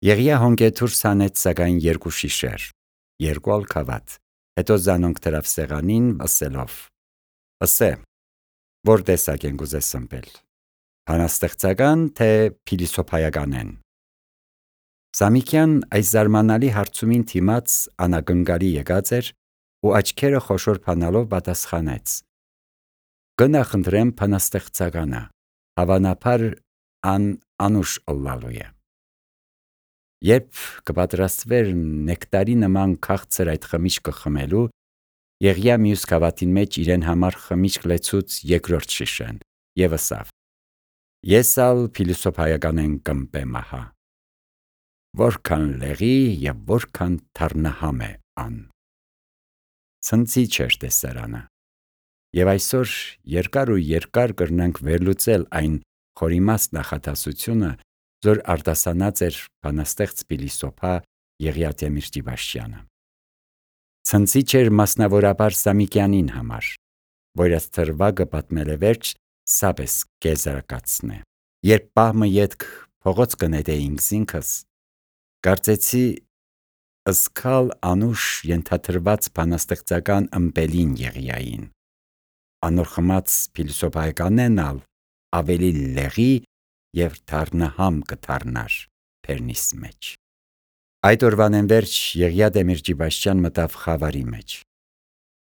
Եղիա հոնկեթուր սանեց սակայն երկու շիշեր, երկու ալ քավաթ, հետո զանոնք դրավ սեղանին ասելով. «Ասե, որ տեսակ են գուզես սմպել, բանաստեղծական թե փիլիսոփայականեն»։ Սամիկյան այս զարմանալի հարցումին թիմաց անագնգալի եկած էր ու աչքերը խոշոր փանալով պատասխանեց. «Գնախնդրեմ բանաստեղծականը, հավանաբար անուշ ըլլալու է»։ Երբ կպատրաստվեր նեկտարի նման քաղցր այդ խմիչքը խմելու, Եղիա մյուս քավաթին մեջ իրեն համար խմիչք լեցուց երկրորդ շիշեն եւ ասավ. «Ես ալ փիլիսոփայականեն կմպեմ ահա, որքան լեղի եւ որքան թառնահամ է ան»։ Ցնցիչ էր տեսարանը, եւ այսօր երկար ու երկար կրնանք վերլուծել այն խորիմաստ նախադասությունը, որ արտասանած էր բանաստեղծ փիլիսոփա Եղիա Դեմիրճիբաշյանը։ Ցնցիչ էր մասնավորաբար Սամիկյանին համար, որ այս թրվագը պատմել է վերջ սաբես կեզարակացնե։ Երբ պահմը ետք փողոց կնետեինք զինքս, կարծեցի ըսքալ անուշ ենթադրված բանաստեղծական ըմպելին Եղիային, անոր խմած փիլիսոփայականեն ալ ավելի լեղի եւ թառնահամ կդառնար բերնիս մեջ։ Այդ օրվանեն վերջ Եղիա Դեմիրճիբաշյան մտավ խավարի մեջ։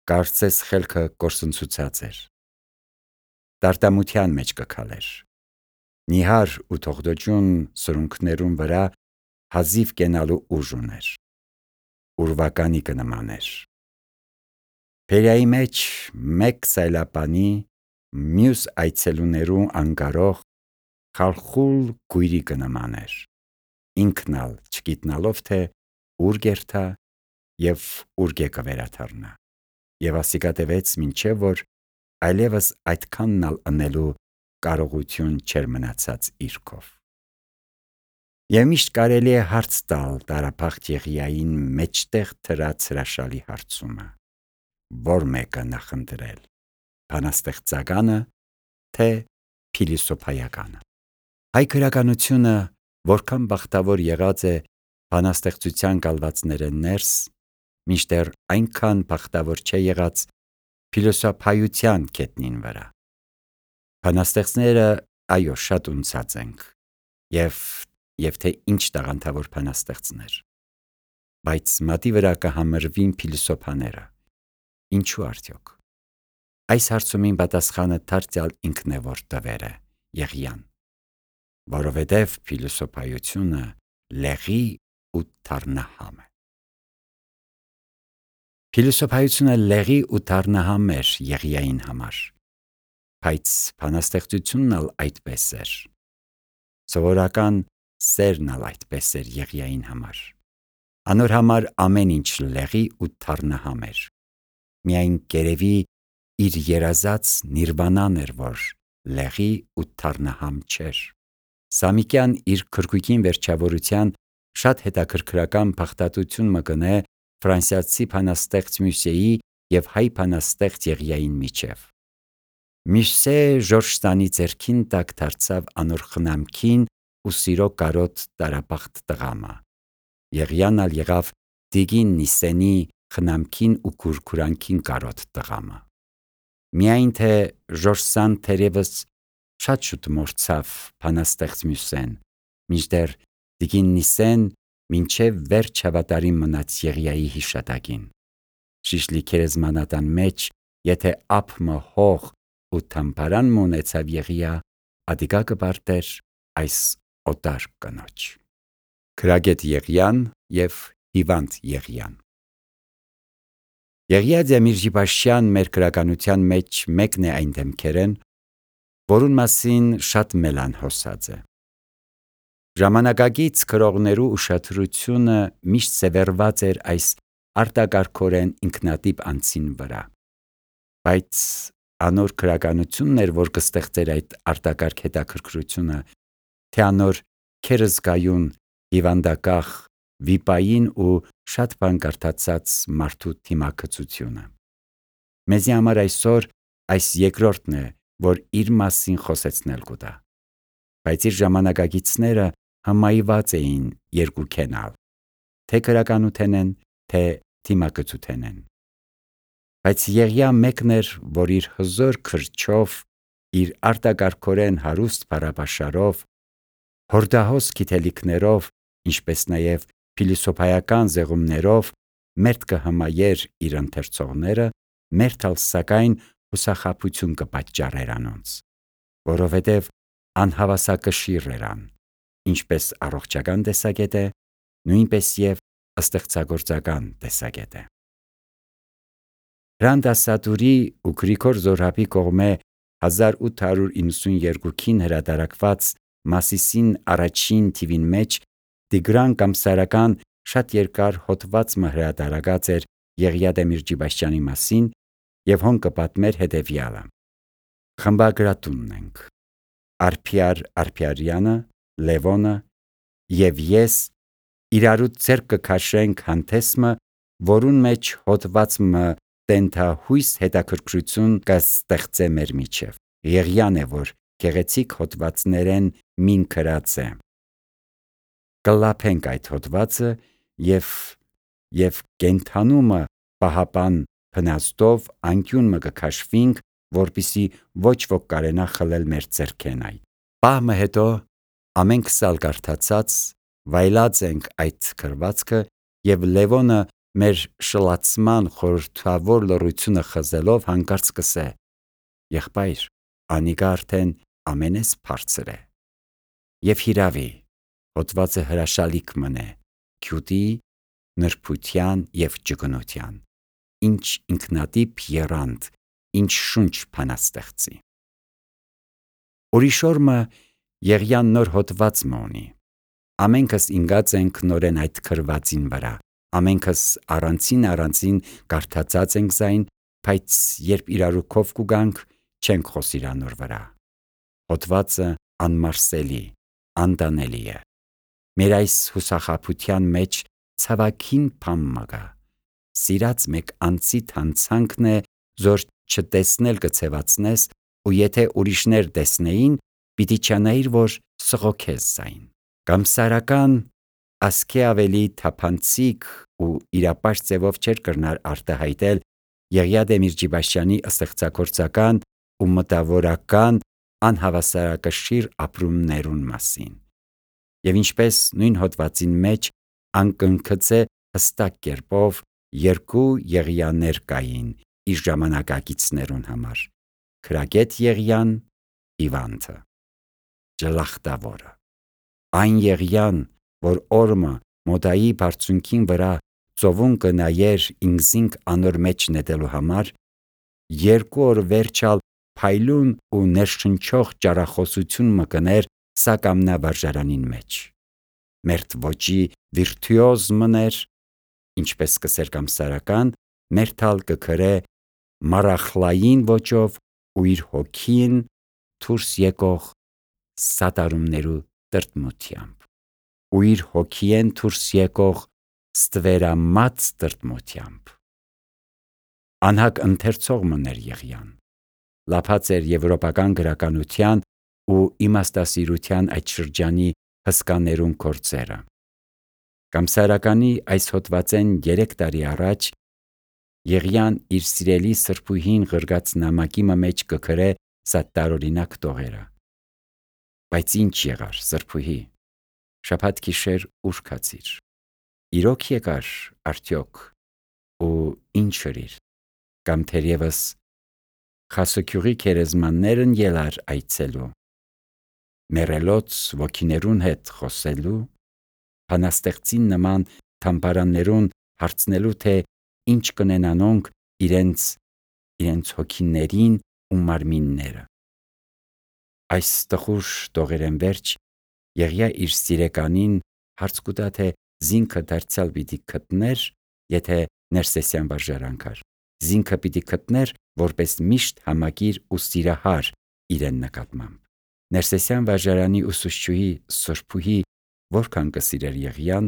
Կարծես խելքը կորսնցուցած էր։ Տարտամության մեջ կքալեր։ Նիհար ու թողդոջուն սրունքներուն վրա հազիվ կենալու ուժ ուներ։ Ուրվականի կնմաներ։ Փերիայի մեջ մեկ սայլապանի, մյուս այցելուներու անկարող խալխուլ գույրի կնմաներ, ինքն ալ չգիտնալով թե ուր գերթա եւ ուր գեկը վերաթարնա, եւ ասիկա տևեց մինչեւ որ այլևս այդքանն ալ ընելու կարողություն չէր մնացած իրքով։ Եվ միշտ կարելի է հարց տալ տարափախտ Եղիային մեջտեղ թրած հրաշալի հարցումը. որ մեկը նախընտրել, բանաստեղծականը թե փիլիսոփայականը։ Հայ գրականությունը որքան բախտավոր եղած է բանաստեղծության կալվածները ներս, մինչդեռ այնքան բախտավոր չէ եղած փիլիսոփայության գետնին վրա։ Բանաստեղծները այո շատ ունցած ենք եւ թե ինչ տաղանդավոր բանաստեղծներ, բայց մատի վրա կհամրվին փիլիսոփաները։ Ինչու արդյոք։ Այս հարցումին պատասխանը դարձյալ ինքն է որ տվեր է Եղիան, որովհետև փիլիսոփայությունը լեղի ու թառնահամ է։ Փիլիսոփայությունը լեղի ու թառնահամ էր Եղիային համար, բայց բանաստեղծությունն ալ այդպես էր։ Սովորական սերն ալ այդպես էր Եղիային համար։ Անոր համար ամեն ինչ լեղի ու թառնահամ էր։ Միայն կերևի իր երազած նիրվանան էր, որ լեղի ու թառնահամ չէր։ Սամիկյան իր քրկուկին վերջավորության շատ հետաքրքրական փախտատություն մկնե ֆրանսիացի բանաստեղծ Մյուսեի եւ հայ բանաստեղծ Եղիային միջև։ Մյուսե Ժորժ Սանի ձեռքին տակ դարձավ անոր խնամքին ու սիրո կարոտ տարապախտ տղամը։ Եղիան ալ եղավ Տիկին Նիսենի խնամքին ու քուրքուրանքին կարոտ տղամը։ Միայն թե Ժորժ Սան թերևս շատ շուտ մոռցավ բանաստեղծ Մյուսեն, մինչդեռ Տիկին Նիսեն մինչև վերջ հավատարիմ մնաց Եղիայի հիշատակին։ Շիշլի քերեզմանատան մեջ, եթե ափմը հող ու թամբարան մունեցավ Եղիա, ադիկա կպարտեր այս օտար կնոջ։ Քրագետ Եղիան եւ հիվանդ Եղիան։ Եղիա Դեմիրճիբաշյան մեր գրականության մեջ մեկն է այն դեմքերեն, որուն մասին շատ մելան հոսած է։ Ժամանակակից գրողներու ուշադրությունը միշտ սևեռված էր այս արտակարգորեն ինքնատիպ անձին վրա, բայց անոր գրականությունն էր, որ կստեղծեր այդ արտակարգ հետաքրքրությունը, թե անոր քերզգայուն, հիվանդակախ, վիպային ու շատ բան կարդացած մարդու թիմակցությունը։ Մեզի համար այսօր այս երկրորդն է, որ իր մասին խոսեցնել կուտա, բայց իր ժամանակագիցները հմայված էին երկուքենալ, թե գրականութենեն, թե թիմակցութենեն։ Բայց Եղիա մեկն էր, որ իր հզոր քրչով, իր արտակարգորեն հարուստ բառապաշարով, հորդահոս գիտելիքներով, ինչպես նաև փիլիսոփայական զեղումներով մերթ կհմայեր իր ընթերցողները, մերթալ սակայն հուսախաբություն կպատճառեր անոնց, որովհետև անհավասակշիռ երան, ինչպես առողջական տեսակետ է, նույնպես և ստեղծագործական տեսակետ է։ Հրանդասատուրի ու Գրիգոր Զորհաբի կողմէ 1892-ին հրատարակված Մասիսին առաջին թիվին մեջ Տիգրան Կամսարական շատ երկար հոդված մը հրատարակած էր Եղիա Դեմիրճիբաշյանի մասին և հոն կպատմեր հետևյալը. խմբագրատունն ենք, Արփիար Արփիարյանը, Լևոնը և ես իրարու ձեռք կքաշենք հանդեսմը, որուն մեջ հոդվածմը տենթահույս հետաքրքրություն կստեղծե մեր միջև։ Եղիան է, որ գեղեցիկ հոդվածներեն մին գրած է։ Կլափենք այդ հոդվածը և կենթանումը պահապան փնաստով անկյունը կքաշվինք, որպիսի ոչ ոք կարենա խլել մեր ձեռքեն այդ։ Պահմը հետո ամենք սալ կարդացած վայելած ենք այդ գրվածքը և Լևոնը մեր շլացման խորհրդավոր լռությունը խզելով հանկարծ կսե. «Եղբայր, անիկա արդեն ամենես բարձր է»։ Եվ հիրավի, հոդվածը հրաշալիք մնե, գյուտի, նրբության և ջգնության, ինչ ինքնատիպ եռանդ, ինչ շունչ բանաստեղծի։ Ուրիշ օրը Եղիան նոր հոդված մը ունի։ Ամենքս ինգած ենք նորեն այդ գրվածին վրա, ամենքս առանձին կարդացած ենք զայն, բայց երբ իրարու քով կուգանք, չենք խոսիր անոր վրա։ Հոդվածը անմարսելի, անտանելի է։ Մեր այս հուսախաբության մեջ ցավագին բան մը կա։ Սիրած մեկ անձիդ հանցանքն է, զոր չտեսնել կցևացնես, ու եթե ուրիշներ տեսնեին, պիտի չանայիր, որ սղոքես զայն։ Կամսարական ասկե ավելի թափանցիկ ու իրապաշտ ձևով չէր կրնար արտահայտել Եղիա Դեմիրճիբաշյանի ստեղծագործական ու մտավորական անհավասարակշիռ ապրումներուն մասին։ Եվ ինչպես նույն հոդվածին մեջ անկնքծե հստակ կերպով երկու Եղիաներ կային իր ժամանակակիցներուն համար. Քրագետ Եղիան, Իվանթը, Ջլախտավորը։ Այն Եղիան, որ օրմը մոդայի բարձունքին վրա ծովուն կնայեր ինքզինք անոր մեջ նետելու համար, երկու օր վերջալ փայլուն ու ներշնչող ճառախոսություն մը կներ սակամնա վարժարանին մեջ։ Մերթ ոճի վիրտուոզ մներ, ինչպես կսեր Կամսարական, մերթալ կգրե մարախլային ոճով ու իր հոգին դուրս եկող սատարումներու տրտմությամբ, ու իր հոգիեն դուրս եկող ստվերամած տրտմությամբ։ Անհագ ընթերցող մներ Եղիան, լափած էր եվրոպական գրականության ու իմաստասիրության այդ շրջանի հսկաներուն գործերը։ Կամսարականի այս հոդվածեն 3 տարի առաջ Եղիան իր սիրելի սրբուհին ղրգած նամակի մեջ կգրե սա տարօրինակ տողերը։ Բայց ինչ եղար, սրբուհի, շաբաթ գիշեր ուր գացիր, իրոք եկար արդյոք ու ինչ ըրիր, կամ թերևս խասուգյուղի գերեզմաններն ելար այցելու, մեռելոց ոգիներուն հետ խոսելու, բանաստեղծին նման թամբարաններուն հարցնելու, թե ինչ կնեն անոնք իրենց հոգիներին ու մարմինները։ Այս տխուր տողերեն վերջ Եղիա իր սիրեկանին հարց կուտա, թե զինքը դարձյալ պիտի գտներ, եթե Ներսեսյան վարժարան գար, զինքը պիտի գտներ որպես միշտ համակիր ու սիրահար իրեն նկատմամբ։ Ներսեսյան վարժարանի ուսուցչուհի սրբուհի որքան կսիրեր Եղիան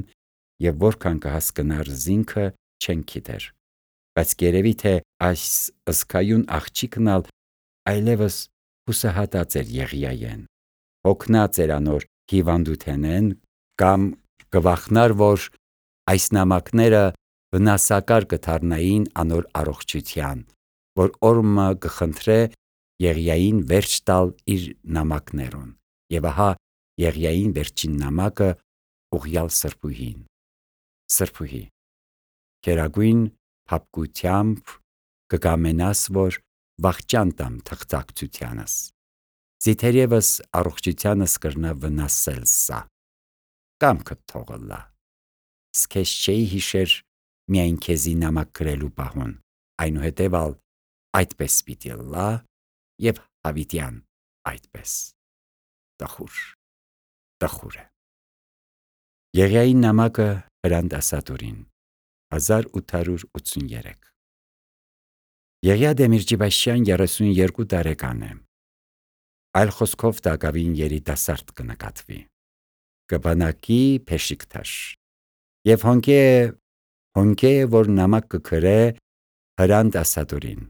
և որքան կհասկնար զինքը, չեն գիտեր, բայց երևի թե այս ըսկայուն աղջիկն այլևս հուսահատած էր Եղիայեն, հոգնած էր անոր հիվանդութենեն, Կամ կվախնար, որ այս նամակները վնասակար կդառնային անոր առողջության, որ օրմը կխնդրե Եղիային վերջ տալ իր նամակներուն, եւ ահա Եղիային վերջին նամակը ուղյալ սրբուհի, քերագույն փափկությամբ կկամենաս, որ վախճան տամ թղթակցությանս, զիթերևս առողջությանս կրնա վնասել սա, կամքդ թողլա, սկեզ չէի հիշեր միայն քեզի նամակ գրելու պահուն, այնուհետև ալ այդպես պիտի լա եւ հավիտյան այդպես, տխուր է։ Եղիայի նամակը Հրանտ Ասատուրին 1883 Եղիա Դեմիրճիբաշյան 32 տարեկան է, այլ խոսքով Դագավին երիտասարդ կնկատվի, կբանակի փեշիկտաշ եւ հոնկե է, որ նամակ կգրե Հրանտ Ասատուրին։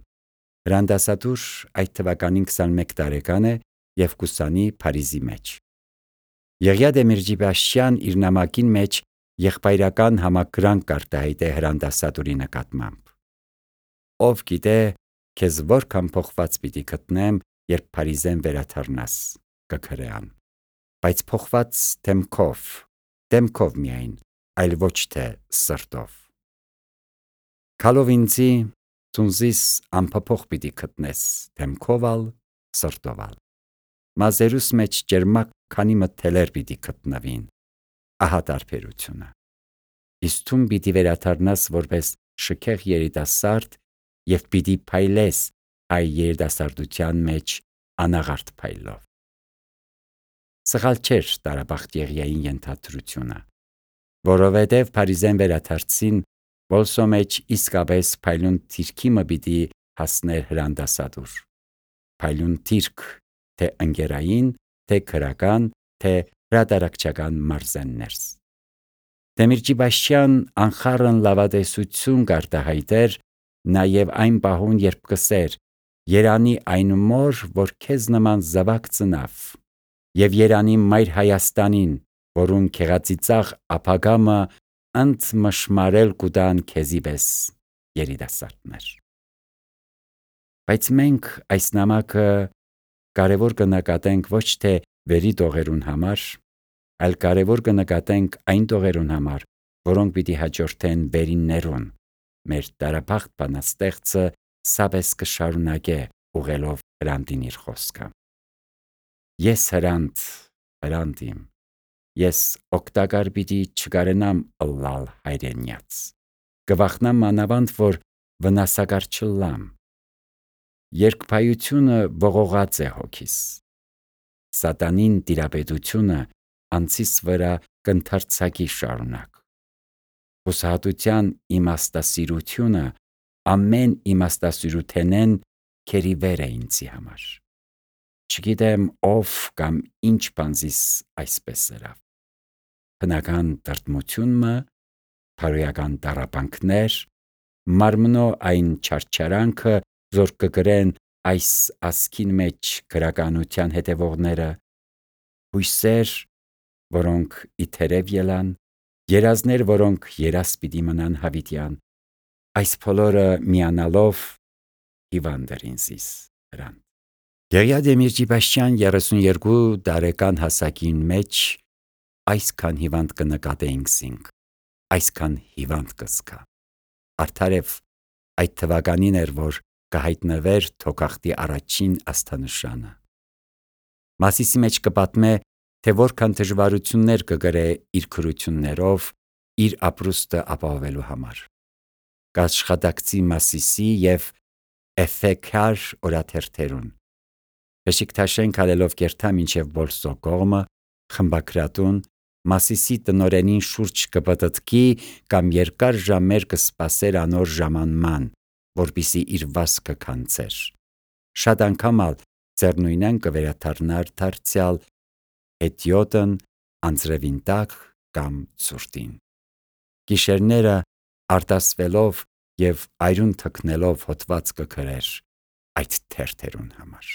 Հրանտ Ասատուր այդ թվականին 21 տարեկան է եւ կուսանի Փարիզի մեջ։ Եղիա Դեմիրճիբաշյան իր նամակին մեջ եղբայրական համակրանք կարտահայտե Հրանտ Ասատուրի նկատմամբ։ Ով գիտե, քեզ որքան փոխված պիտի գտնեմ, երբ Փարիզեն վերադառնաս, կգրեան, բայց փոխված դեմքով միայն, այլ ոչ թե սրտով։ Քալով ինձի ծունզիս անփոփոխ պիտի գտնես, դեմքով ալ, սրտով ալ։ Մազերուս մեջ ջերմակ քանի մթելեր պիտի գտնվին, ահա տարբերությունը։ Իսկ թուն պիտի վերադառնաս որպես շքեղ երիտասարդ եւ պիտի փայլես այ երիտասարդության մեջ անաղարտ փայլով։ Սխալ չէր տարաբախտ Եղիային ենթադրությունը, որովհետև Փարիզեն վերադարձին բոլսո մեջ իսկապես փայլուն թիրքի մը պիտի հասներ Հրանտ Ասատուր։ Փայլուն թիրք, թե ընկերային, թե քրական, թե հրատարակչական մարզեններս։ Դեմիրճիբաշյան անխառն լավատեսություն կարտահայտեր նաև այն պահուն, երբ կսեր երանի այն մոր, որ քեզ նման զավակ ծնավ, եւ երանի մայր Հայաստանին, որուն քեղածիծաղ ապագամը ընդ մշմարել կուտան քեզի պես երիտասարդներ։ Բայց մենք այս նամակը կարևոր կնկատենք ոչ թե վերի տողերուն համար, այլ կարևոր կնկատենք այն տողերուն համար, որոնք պիտի հաջորդեն վերիններուն, մեր տարաբախտ բանաստեղծը սապես կշարունակե ուղելով Հրանտին իր խոսքը։ Ես Հրանտ իմ, ես օգտակար պիտի չկարենամ ըլլալ հայրենյաց, կվախնամ մանավանդ, որ վնասակար չլամ։ Երկփայությունը ողողած է հոգիս, սատանին տիրապետությունը անցիս վրա կընթարցակի շարունակ, հուսահատության իմաստասիրությունը ամեն իմաստասիրութենեն քերի վեր է ինձի համար։ Չգիտեմ ով կամ ինչ բանզիս այսպես սրավ։ Հնական տրտմությունը, փարոյական տառապանքներ, մարմնո այն չարչարանքը, որ կգրեն այս ասքին մեջ գրականության հետևողները, հույսեր, որոնք իթերև ելան, երազներ, որոնք երաս պիտի մնան հավիտյան, այս բոլորը միանալով հիվանդ էր ինձիս Հրանտ։ Եղիա Դեմիրճիբաշյան 32 տարեկան հասակին մեջ այսքան հիվանդ կնկատեինք զինք, այսքան հիվանդ կզգա։ Արդարև այդ թվականին էր, որ կհայտնվեր թոքախտի առաջին աստանշանը։ Մասիսի մեջ կպատմե, թե որքան դժվարություններ կգրե իր քրություններով իր ապրուստը ապահովելու համար։ Կաշխատակցի Մասիսի եւ Էֆեքար օրաթերթերուն։ Բեշիկտաշեն քալելով կերթա մինչև Բոլսո կողմը, խմբակրատուն, Մասիսի տնորենին շուրջ կպտտքի կամ երկար ժամեր կսպասեր անոր ժամանման, որպիսի իր վասկը քանցեր։ Շատ անգամ ալ ձեռնույնեն կվերադառնար դարձյալ հետիոտն անձրևին տակ կամ ցուրտին։ Գիշերները արտասվելով եւ այրուն թքնելով հոտված կգրեր այդ թերթերուն համար։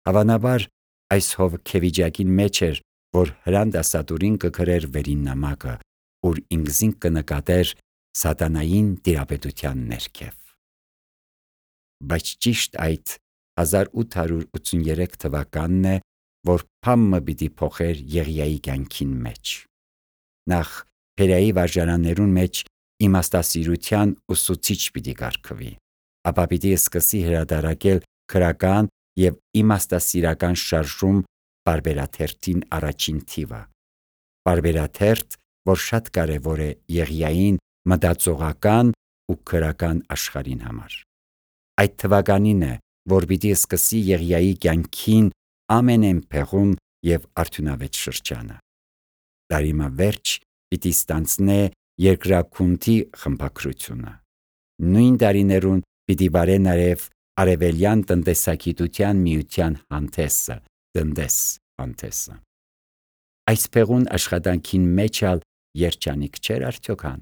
Հավանաբար այս հովքեվիճակին մեջ էր, որ հրանդասատուրին կգրեր վերին նամակը, ուր ինքզինք կնկատեր սատանային տիրապետության ներքև։ Բայց ճիշտ այդ 1883 թվականն է, որ Փամմը պիտի փոխեր Եղիայի կյանքին մեջ։ Նախ Փերայի վարժարաններուն մեջ իմաստասիրության ուսուցիչ պիտի կարգվի, ապա պիտի սկսի հրատարակել քրական եւ իմաստասիրական շարժում պարբերաթերթին առաջին թիվը։ Պարբերաթերթ, որ շատ կարևոր է Եղիային մտածողական ու քրական աշխարհին համար։ Այդ թվականին է, որ պիտի սկսի Եղիայի կյանքին ամենէնփեղուն եւ արդյունավետ շրջանը։ Տարիմը վերջ պիտի ստանձնե երկրաքունթի խմբակրությունը։ Նույն տարիներուն պիտի վարե նաև արևելյան տնտեսագիտության միության հանդեսը, տնտես հանդեսը։ Այս փեղուն աշխատանքին մեջ ալ երջանիկ չէր արդյոքան։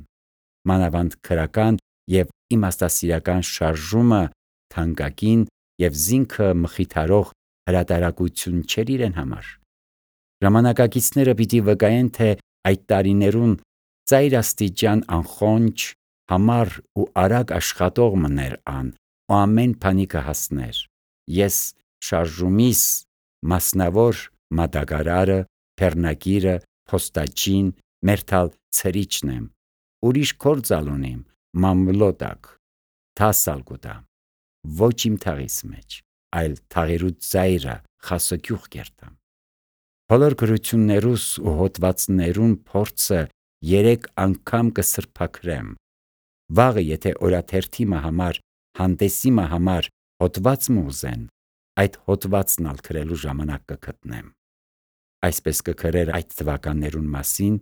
Մանավանդ քրական եւ իմաստասիրական շարժումը թանկագին եւ զինքը մխիթարող հրատարակություն չէր իրեն համար։ Ժամանակակիցները պիտի վկայեն, թե այդ տարիներուն ծայրաստիճան անխոնջ, համառ ու արագ աշխատող մներ ան ու ամեն բանի կհասներ։ Ես շարժումիս մասնավոր մատակարարը, բեռնագիրը, փոստաճին, մերթալ ցրիչն եմ, ուրիշ գործալ ունիմ, մամլոտակ, թասալ կուտամ, ոչ իմ թաղիս մեջ, այլ թաղերու ծայրը խասոքյուղ կերտամ։ Բոլոր գրություններուս ու հոդվածներուն փորձը 3 անգամ կսրբաքրեմ։ Վաղը եթե օրաթերթի համար, հանդեսի համար հոդված մուզեն, այդ հոդվածն ալ գրելու ժամանակ կգտնեմ։ Այսպես կգրեր այդ թվականներուն մասին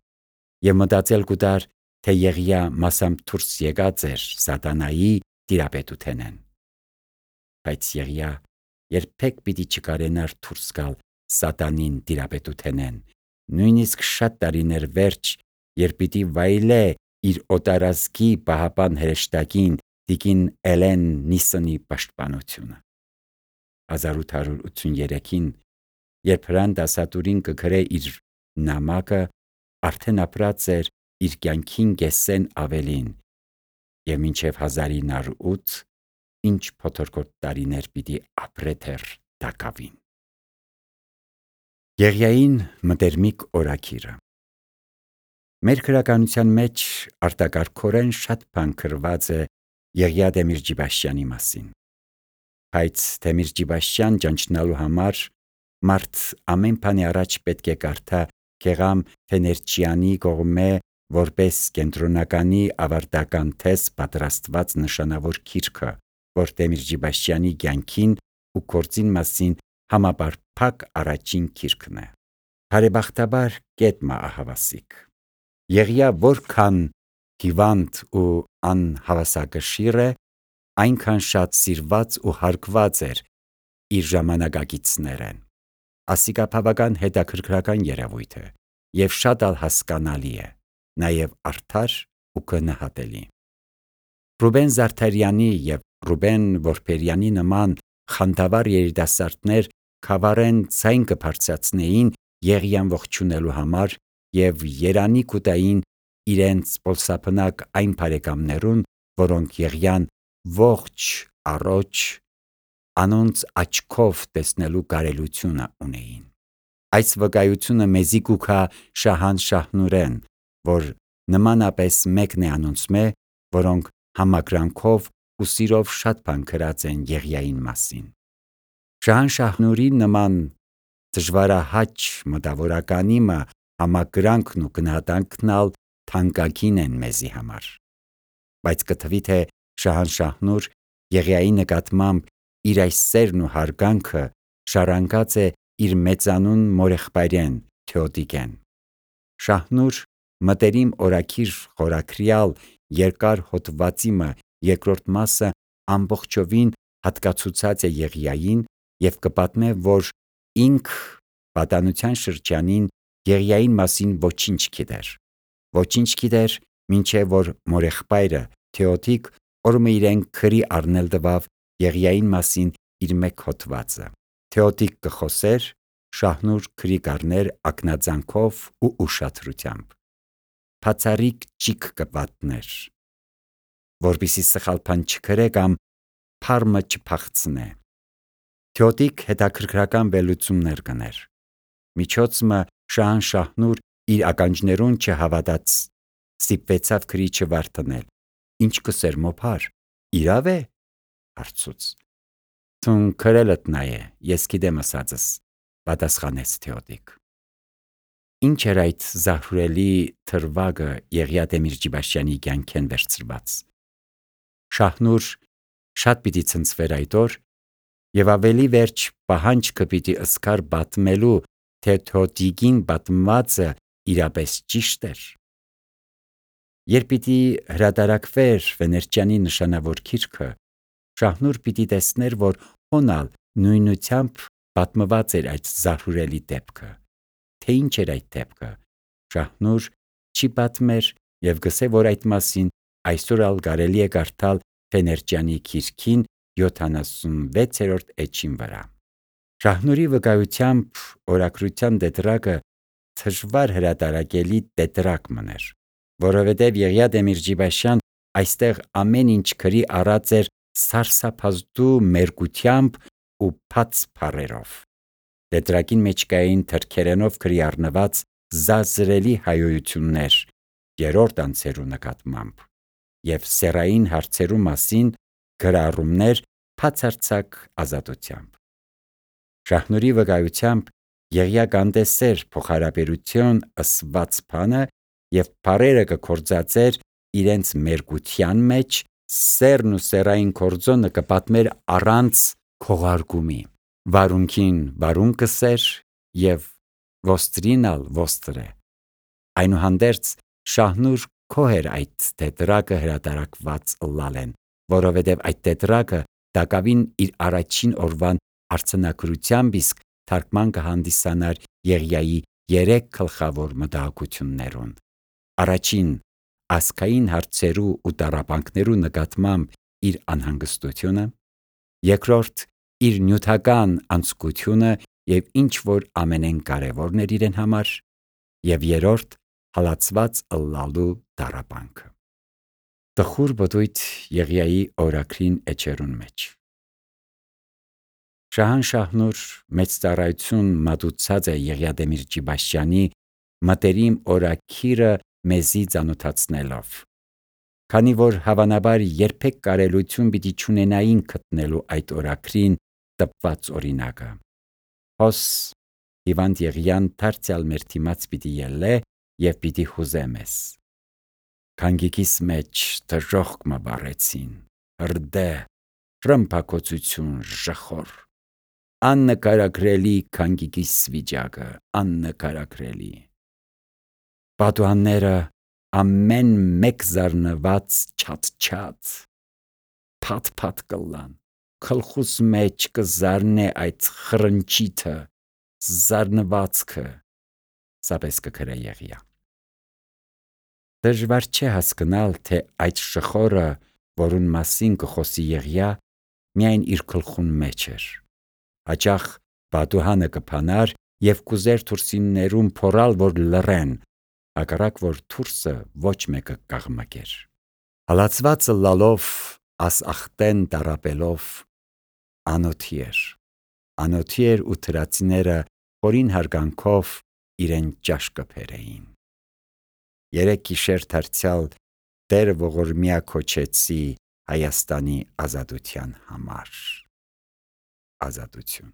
եւ մտածել կուտար, թե Եղիա մասամբ դուրս եկած էր սատանայի տիրապետութենեն։ Բայց Եղիա երբեք պիտի չկարենար դուրս գալ սատանին տիրապետութենեն, նույնիսկ շատ տարիներ վերջ, երբ պիտի վայելե իր օտարազգի պահապան հրեշտակին տիկին Էլեն Նիսոնի պաշտպանությունը։ 1883-ին, երբ հրանդասատուրին կգրե իր նամակը, արդեն ապրած էր իր կյանքին կեսեն ավելին, եւ մինչև 1908 ինչ փոթորկոտ տարիներ պիտի ապրե թեր տակավին։ Եղիային մտերմիկ օրաքիրը։ Մեր քրականության մեջ արտակարգորեն շատ բան գրված է Եղիա Դեմիրճիբաշյանի մասին։ Բայց Դեմիրճիբաշյան ճանչնալու համար մարդ ամեն բանի առաջ պետք է կարդա Գեղամ Ֆեներչյանի կողմէ որպես կենտրոնականի ավարտական թեզ պատրաստված նշանավոր գիրքը, որ Դեմիրճիբաշյանի կյանքին ու գործին մասին համապարփակ առաջին գիրքն է։ Բարեբախտաբար կետմա ահավասիկ։ Եղիա որքան հիվանդ ու անհավասակշիռ է, այնքան շատ սիրված ու հարգված էր իր ժամանակակիցներեն։ Ասիկա բավական հետաքրքրական երևույթ է եւ շատ ալ հասկանալի է, նաեւ արդար ու գնահատելի։ Ռուբեն Զարդարյանի եւ Ռուբեն Որբերյանի նման խանդավառ երիտասարդներ խավարեն ցայն կբարձրացնեին Եղիան ողջունելու համար եւ երանի կուտային իրենց պոլսափնակ այն բարեկամներուն, որոնք Եղիան ողջ առողջ անոնց աչքով տեսնելու կարելությունը ունեին։ Այս վկայությունը մեզի կուքա Շահան Շահնուրեն, որ նմանապես մեկն է անոնցմե, որոնք համակրանքով ու սիրով շատ բան գրած են Եղիային մասին։ Շահան Շահնուրի նման դժվարահաճ մտավորականիմը համակրանքն ու գնահատանքն ալ թանկագին են մեզի համար։ Բայց կթվի թե Շահան Շահնուր Եղիայի նկատմամբ իր այս սերն ու հարգանքը շարանկած է իր մեծանուն մորեղբայրեն Թեոդիկեն։ Շահնուր մտերիմ օրաքիր խորաքրյալ երկար հոդվածիմը երկրորդ մասը ամբողջովին հատկացուցած է Եղիային եւ կպատմե, որ ինք պատանության շրջանին Եղիային մասին ոչինչ գիտեր։ Ոչինչ գիտեր, մինչև որ մորեղբայրը Թեոդիկ օրը իրեն քրի առնել տվավ Եղիային մասին իր մեկ հոդվածը։ Թեոդիկ կխոսեր Շահնուր քրի կառներ ակնածանքով ու ուշադրությամբ, բացառիկ ճիգ կպատներ, որպեսզի սխալ բան չգրե կամ փառմը չփախցնե։ Թյոդիկ հետաքրքրական վերլուծումներ կներ։ Միջոցը Շահնուր իր ականջներուն չհավատաց, ստիպվեցավ քրիչը վարդանել։ Ինչ կսեր մոփար, իրավ է, հարցուց։ Թուն քրելդ նայե, ես գիտեմ ասածս, պատասխանեց Թեոդիկ։ Ինչ էր այդ զարհուրելի թրվագը Եղիա Դեմիրճիբաշյանի կյանքեն վերցրված։ Շահնուր շատ պիտի ցնցվեր այդ օր եւ ավելի վերջ պահանջքը պիտի ըսկար պատմելու, թե Թեոդիկին պատմվածը իրապես ճիշտ էր։ Երբ պիտի հրատարակվեր Վեներճյանի նշանավոր գիրքը, Շահնուր պիտի տեսներ, որ հոնալ նույնությամբ պատմված էր այդ զարհուրելի դեպքը։ Թե ինչ էր այդ դեպքը, Շահնուր չի պատմեր եւ գսե, որ այդ մասին այսօր ալ կարելի է կարդալ Վեներճյանի գիրքին 76-րդ էջին վրա։ Շահնուրի վկայությամբ օրագրության տետրակը դժվար հրատարակելի տետրակ մներ, որովհետև Եղիա Դեմիրճիբաշյան այստեղ ամեն ինչ գրի առած էր սարսափազդու մերկությամբ ու բաց բառերով։ Տետրակին մեջ կային թրքերենով գրի առնված զազրելի հայոյություններ երրորդ անձերու նկատմամբ եւ սեռային հարցերու մասին գրառումներ բացարձակ ազատությամբ։ Շահնուրի վկայությամբ Եղիա կանդեսեր փոխհարաբերություն ըսված բանը եւ բառերը կկործածեր իրենց մերկության մեջ, սերն ու սեռային կորձոնը կպատմեր առանց քողարկումի, վարունքին վարուն կսեր եւ ոստրինալ ոստրե։ Այնուհանդերձ Շահնուր քոհեր այդ տետրակը հրատարակված լալեն, որովհետև այդ տետրակը դակավին իր առաջին օրվան արձանագրությամբ իսկ թարգման կհանդիսանար Եղիայի 3 գլխավոր մտահոգություններուն։ Առաջին ազգային հարցերու ու տառապանքներու նկատմամբ իր անհանգստությունը, երկրորդ իր նյութական անձկությունը եւ ինչ որ ամենեն կարևորն էր իրեն համար, եւ երրորդ հալածված ըլլալու տառապանքը։ Տխուր բդույթ Եղիայի օրագրին էջերուն մեջ։ Շահնուր մեծ ծառայություն մատուցած է Եղիա Դեմիրճիբաշյանի մտերիմ օրագիրը մեզի ծանոթացնելով, քանի որ հավանաբար երբեք կարելություն պիտի չունենային գտնելու այդ օրագրին տպված օրինակը։ Հոս Հիվանդ Եղիան դարձյալ մեր դիմաց պիտի ելլե եւ պիտի հուզե մեզ։ Քանգիկիս մեջ դժոխք մը բարեցին, հրդե, ռմբակոծություն ժխոր, աննկարագրելի քանգիկիս վիճակը, աննկարագրելի։ Պատուհանները ամեն մեկ զարնված չաթ, փաթ կլան, գլխուս մեջ կզարնե այդ խրնչիթը, զարնվածքը, սապես կգրե Եղիա։ Դժվար չէ հասկանալ, թե այդ շխորը, որուն մասին կխոսի Եղիա, միայն իր գլխուն մեջ էր։ Հաճախ պատուհանը կփանար եւ կուզեր թուրսիններուն փորալ, որ լռեն, հակառակ որ թուրսը ոչ մեկը կաղմկեր։ Հալածվածը լալով, ասախտեն տարապելով, անոթի էր ու թրացիները խորին հարգանքով իրեն ճաշկը բերեին։ 3 գիշեր դարձյալ Տերը ողորմյա քոչեցի Հայաստանի ազատության համար։ Ազատություն։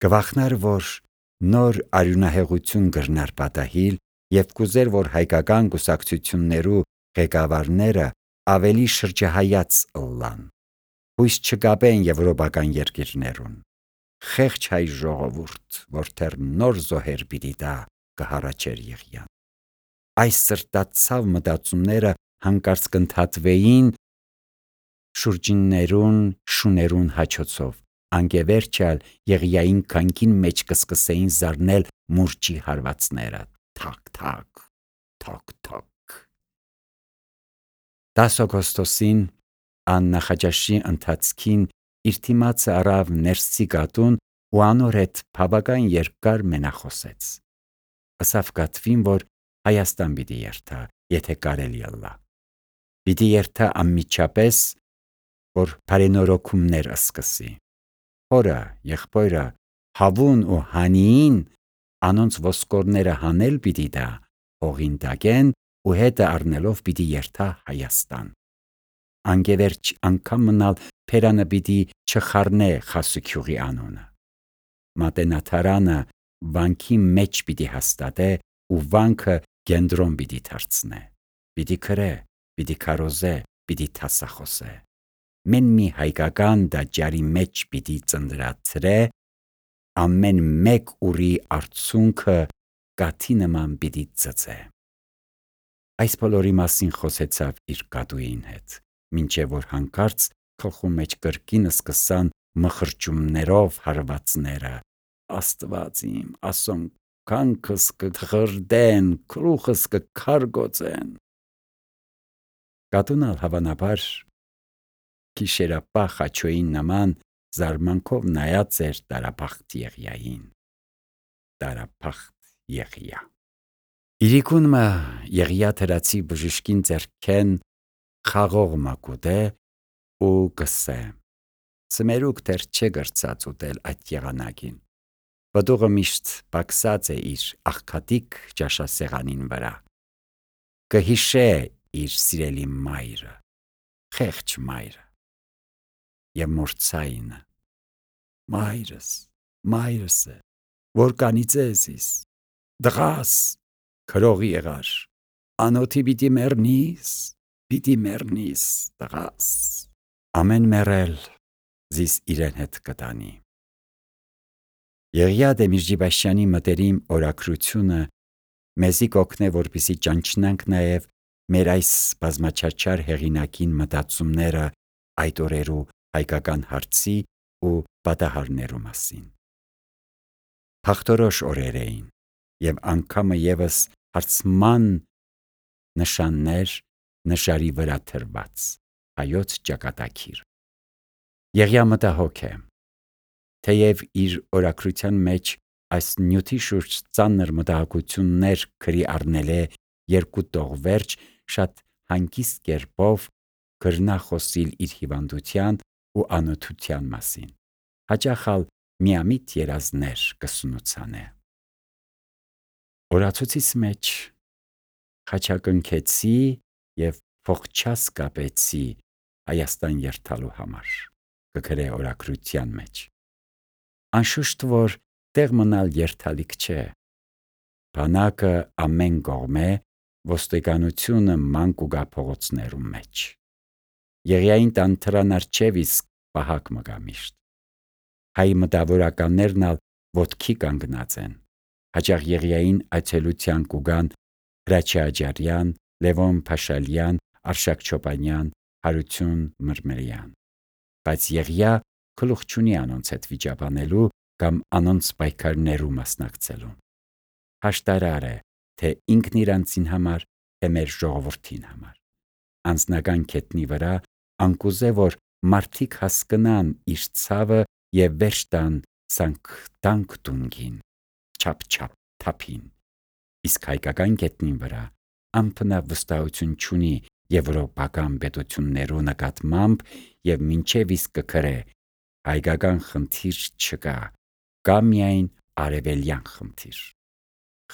Կվախնար, որ նոր արյունահեղություն կրնար պատահիլ եւ կուզեր, որ հայկական կուսակցություններու ղեկավարները ավելի շրջահայաց ըլլան, հույս չկապեն եվրոպական երկիրներուն։ Խեղճ հայ ժողովուրդ, որ թեր նոր զոհեր պիտի տա, կհառաչեր Եղիան։ Այս սրտացավ մտածումները հանկարծ կընդհատվեին շուրջիններուն շուներուն հաչոցով, անկևերջալ Եղիային քանքին մեջ կսկսեին զարնել մուրճի հարվածները, թակ, 10 օգոստոսին աննախաճաշի ընթացքին իր թիմացը առավ ներսի գատուն ու անոր հետ բավական երկար մենախոսեց։ Ասավ Կատվին, որ Հայաստան պիտի երթա, եթե կարելի ըլլա։ Պիտի երթա անմիջապես, որ բարենորոգումներ սկսի։ Հորը, եղբորը, Հավուն ու Հանիին անոնց ոսկորները հանել պիտի դա, հողին տակեն ու հետը առնելով պիտի երթա Հայաստան։ Անգևերջ անգամ մնալ Փերանը պիտի չխառնե Խասուքյուղի անունը։ Մատենաթարանը վանքի մեջ պիտի հաստատե ու վանքը կենտրոն պիտի դարձնե։ Պիտի քրե, պիտի քարոզե, պիտի թասախոսե։ Մեն մի հայկական դաջարի մեջ պիտի ծնդրացրե, ամեն մեկ ուրի արցունքը կաթի նման պիտի ծծե։ Այս բոլորի մասին խոսեցավ իր կատուին հետ, մինչև որ հանկարծ գլխու մեջ կրկին սկսան մխրճումներով հարվածները. Աստված իմ, ասոն կանքս կթխրդեն, քրուխս կքարգոցեն։ Կատուն ալ հավանաբար գիշերապահ խաչոյին նման զարմանքով նայած էր տարապախտ Եղիային։ Տարապախտ Եղիա։ Իրիկունը Եղիա թրացի բժշկին ձեռքեն խաղող մակուտե ու գսե. Սմերուկ դեռ չէ գրծած ուտել այդ եղանակին։ Բդուղը միշտ բաքսած է իր աղքատիկ ճաշասեղանին վրա։ Կհիշե իր սիրելի մայրը, խեղճ մայրը և մորցայինը։ Մայրս է, որ կանիծես, դղաս, քրող եղար, անոթի պիտի մեռնիս, դղաս։ Ամեն մեռել զիս իրեն հետ կտանի։ Եղիա Դեմիրճիբաշյանի մտերիմ օրագրությունը մեզի կօգնե, որպեսզի ճանչնանք նաև մեր այս բազմաչարչար հեղինակին մտածումները այդ օրերու հայկական հարցի ու պատահարներու մասին։ Փախտորոշ օրեր էին և անգամը ևս հարցման նշաններ նշարի վրա թրված հայոց ճակատագիր։ Եղիա մտահոգ է, թեև իր օրագրության մեջ այս նյութի շուրջ ծանր մտահոգություններ գրի առնել է երկու տողվերջ, շատ հանգիստ կերպով կրնա խոսիլ իր հիվանդության ու անօթության մասին, հաճախ ալ միամիտ երազներ կսունուցանե։ Օրացույցիս մեջ խաչակնքեցի և փոխչաս կապեցի Հայաստան երթալու համար, կգրե օրագրության մեջ։ Անշուշտ, որ տեղ մնալ երթալիք չէ։ Բանակը ամեն կողմ է, ոստիկանությունը ման կուգա փողոցներու մեջ։ Եղիային տան թրան արջև իսկ պահակ մգա միշտ։ Հայ մտավորականներն ալ ոտքի կանգնած են։ Հաճախ Եղիային այցելության կուգան Հրաչյա Աջարյան, Լևոն Փաշալյան, Արշակ Չոպանյան, Հարություն Մրմրյան։ Բայց Եղիա գլուխ չունի անոնց հետ վիճաբանելու կամ անոնց պայքարներու մասնակցելու։ Հաշտարար է, թե ինքն իրանցին համար, թե մեր ժողովրդին համար։ Անձնական քետնի վրա անկուզե, որ մարդիկ հասկնան իր ցավը և վերջ տան սանք տունգին, չափ թափին։ Իսկ հայկական քետնին վրա անփնավ վստահություն չունի եվրոպական պետություններու նկատմամբ և մինչև իսկ կգրե հայկական խնդիր չկա, կա միայն արևելյան խնդիր։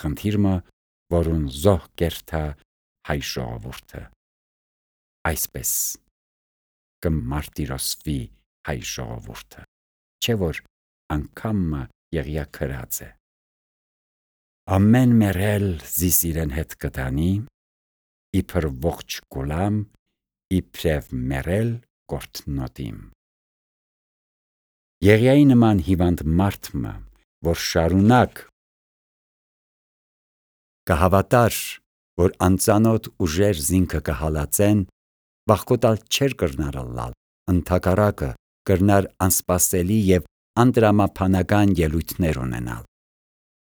Խնդիրը, որուն զոհ կերթա հայ ժողովուրդը։ Այսպես կմարտիրոսվի հայ ժողովուրդը, չէ որ անգամը Եղիա քրած է։ Ամեն մեռել զիս իրեն հետ կտանի, իբր ողջ գուլամ, իբրև մեռել կորթնոտիմ։ Եղիայի նման հիվանդ մարդը, որ շարունակ կհավատար, որ անծանոթ ուժեր զինքը կհալածեն, վախկոտալ չէր կրնար ըլլալ, ընդհակառակը կրնար անսպասելի և անտրամաբանական ելույթներ ունենալ։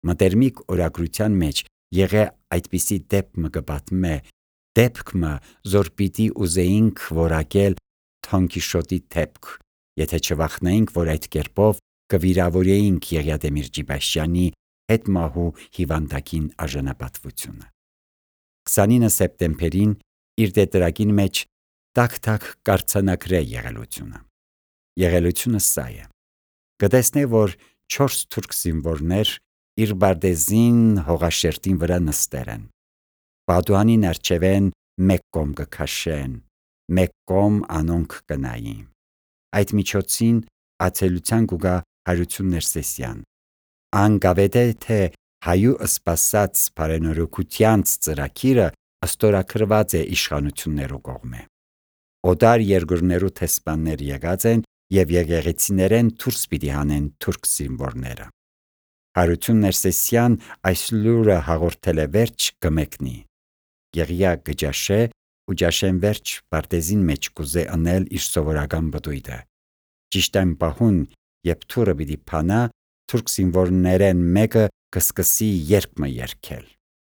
Մտերմիկ օրագրության մեջ եղե այդպիսի դեպքը կպատմե, դեպքը, որ պիտի ուզեինք որակել Թոնկիշոտի դեպք, եթե չվախնայինք, որ այդ կերպով կվիրավորեինք Եղիադեմիր Ջիբաշյանի հետմահու հիվանդակին արժանապատվությունը։ 29 սեպտեմբերին իր դետերակին մեջ տակ-տակ կարծանագրե եղելությունը։ Եղելությունը սա է. կտեսնե, որ 4 թուրք զինվորներ իր բարտեզին հողաշերտին վրա նստեր են։ Պատուհանին արջևեն մեկ կողմ կքաշեն, մեկ կողմ անոնք կնային։ Այդ միջոցին ացելության կուգա Հարություն Ներսեսյան։ Անգավեդե թե հայու սպասած բարենորոգությանց ծրագիրը ստորագրված է իշխանություններու կողմէ։ Օտար երկրներու տեսփաններ եկած են եւ եկեղեցիներեն դուրս պիտի հանեն թուրք զինվորները։ Հարություն Ներսեսյան այս լուրը հաղորդել է վերջ կմեկնի։ Եղիա գճաշե ու ջաշեն վերջ բարտեզին մեջ կուզե անել իր սովորական բդույթը։ Ճիշտ այն պահուն, երբ թուրը պիտի փանա, թուրք զինվորներեն մեկը կսկսի երգը երգել։